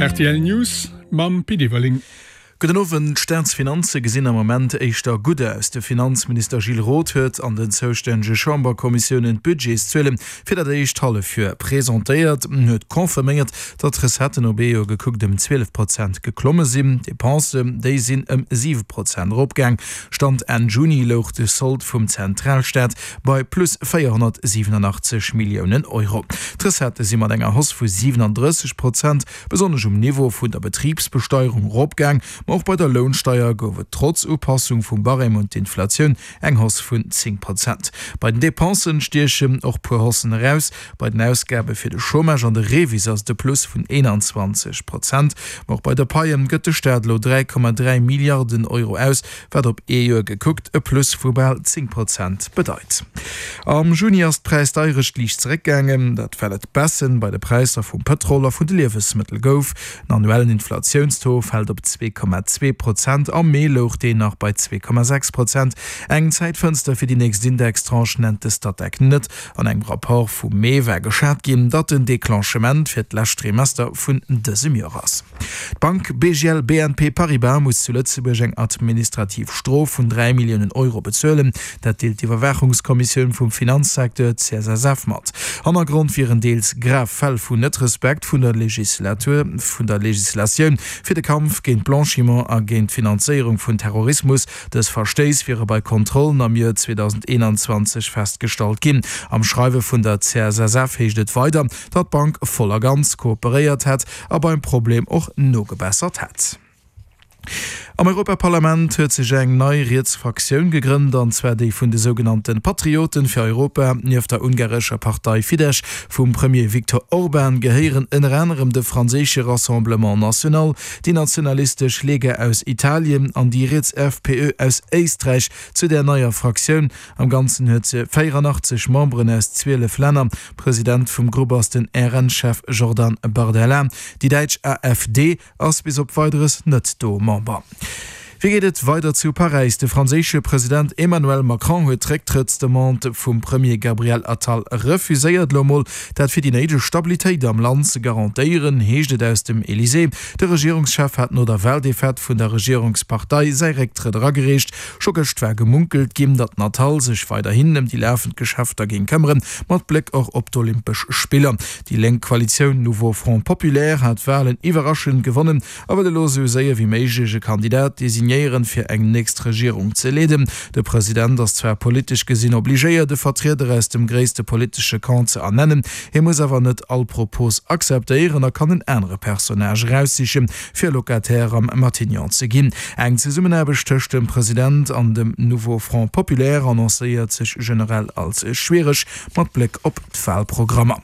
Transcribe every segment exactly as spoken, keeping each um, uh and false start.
R T L News mam Pit Everling. Gudden Owend. D'Staatsfinanze gesinn am Moment éischter gutt aus. De Finanzminister Gilles Roth huet an den zoustännege Chamberkommissiounen d'Budgetszuele fir dat éischt Hallefjoer presentéiert. En huet confirméiert, datt d'Recetten op ee Joer gekuckt ëm zwielef Prozent geklomme sinn. D'Depensen, déi sinn ëm siwe Prozent eropgaang. Stand Enn Juni louch de Sold vum Zentralstaat bei plus véierhonnertsiwwenachtzeg Milliounen Euro. D'Recettë si mat enger Hausse vu siwenandrësseg Prozent besonnesch um Niveau vun der Betribsbesteierung eropgaang, ma och bei der Lounsteier gouf et trotz Upassung vum Barème un d'Inflatioun eng Hausse vun zéng Prozent. Bei den Depensen stiechen och puer Haussen eraus, Bei den Ausgabe fir de Chômage an de REVIS ass et e Plus vun eenanzwanzeg Prozent, ma och bei de Paie gëtt de Staat elo dräi Komma dräi Milliarden Euro aus, wat op ee Joer gekuckt e Plus vu bal zéng Prozent bedeit. Am Juni ass d'Präisdeierecht liicht zeréckgaangen, dat well et Baissen bei de Präisser vum Pëtrol a vun de Liewesmëttel gouf. Den annuellen Inflatiounstaux fält op zwee Komma zwee Prozent, am Mee louch deen nach bei zwee Komma sechs Prozent. Eng Zäitfënster fir déi nächst Indextranche nennt de Statec net. An engem Rapport vum Mee war geschat ginn, datt den Declenchement fir d'lescht Trimester vun dësem Joer ass. D'Bank B G L B N P Paribas muss zu Lëtzebuerg eng administrativ Strof vun dräi Milliounen Euro bezuelen. Dat deelt d'Iwwerwaachungskommissioun vum Finanzsecteur, C S S F, mat. Hannergrond wieren deels grav Fäll vun Net-Respekt vun der Legislatur vun der Legislatioun fir de Kampf géint Blanchiment a géint d'Finanzéierung vun Terrorismus. Dës Verstéiss wiere bei Kontrollen am Joer zweedausendeenanzwanzeg festgestallt ginn. Am Schreiwe vun der C S S F heescht et weider, datt d'Bank voll a ganz kooperéiert hätt a beim Problem och nogebessert hätt. Am Europaparlament huet sech eng nei riets Fraktioun gegrënnt, an zwar déi vun de sougenannte Patrioten fir Europa. Nieft der ungarescher Partei Fidesz vum Premier Viktor Orban gehéieren ënner anerem de franséische Rassemblement National, déi nationalistesch Lega aus Italien an déi riets F P Ö aus Éisträich zu där neier Fraktioun. Am Ganzen huet se véieranachtzeg Memberen aus zwielef Länner. President vum Grupp ass den R N-Chef Jordan Bardella. Déi däitsch A F D ass bis op Weideres net do Member. Wéi geet et weider zu Paräis? De franséische President Emmanuel Macron huet d'Récktrëttsdemande vum Premier Gabriel Attal refuséiert. Elo mol dat fir déi néideg Stabilitéit am Land ze garantéieren, heescht et aus dem Elysée. De Regierungschef hat no der Waldefaite vun der Regierungspartei säi Récktrëtt eragereecht. Scho gëscht war gemunkelt ginn, datt den Attal sech weiderhin ëm déi lafend Geschäfter géing këmmeren, mat Bléck och op d'Olympesch Spiller. Déi lénk Koalitioun Nouveau Front Populaire hat d'Walen iwwerraschend gewonnen a wëll elo esou séier wéi méiglech e Kandidat designéieren, fir eng nächst Regierung ze leeden. De President ass zwar politesch gesinn obligéiert, e Vertrieder aus dem gréisste politesche Camp ze ernennen, hie muss awer net all Propos akzeptéieren a kann en anere Personnage eraussichen, fir Locataire am Matignon ze ginn. Eng Zesummenaarbecht tëscht dem President an dem Nouveau Front Populaire annoncéiert sech generell als schwiereg, mat Bléck op d'Walprogrammer.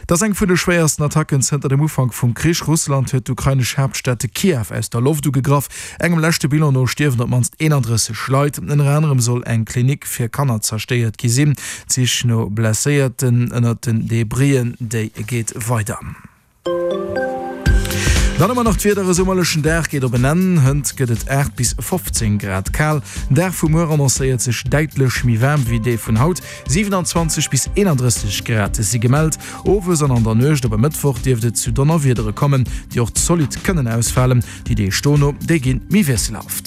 Et ass eng vun de schwéiersten Attacken zënter dem Ufank vum Krich. Russland huet d'ukrainesch Haaptstad Kiew aus der Loft ugegraff. Engem leschte Bilan no stierwen op d'mannst eenandrësseg Leit. Ënner anerem soll eng Klinik fir Kanner zerstéiert gi sinn. D'Sich no Blesséierten ënnert den Debrien, déi geet weider. Dann hu mer nach d'Wieder, E summerlechen Dag geet op en Enn, hënt gëtt et aacht bis fofzéng Grad kal. Den Dag vu muer annoncéiert sech däitlech méi waarm wéi dee vun haut, siewenanzwanzeg bis eenandrësseg Grad si gemellt. Owes an an der Nuecht op e Mëttwoch dierft et zu Donnerwiedere kommen, déi och zolidd kënnen ausfalen. Déi Deeg dono, déi gi méi wiesselhaft.